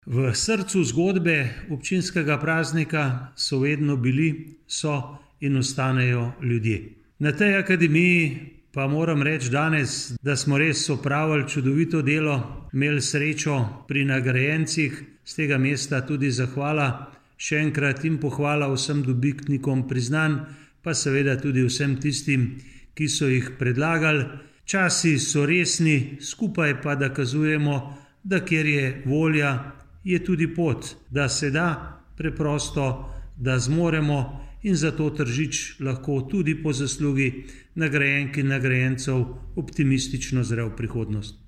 V srcu zgodbe občinskega praznika so vedno bili, so in ostanejo ljudje. Na tej akademiji pa moram reči danes, da smo res opravili čudovito delo, imeli srečo pri nagrajencih, z tega mesta tudi zahvala še enkrat in pohvala vsem dobitnikom priznanj, pa seveda tudi vsem tistim, ki so jih predlagali. Časi so resni, skupaj pa dokazujemo, da kjer je volja, je tudi pot, da se da preprosto, da zmoremo in zato Tržič lahko tudi po zaslugi nagrajenk in nagrajencev optimistično zre v prihodnost.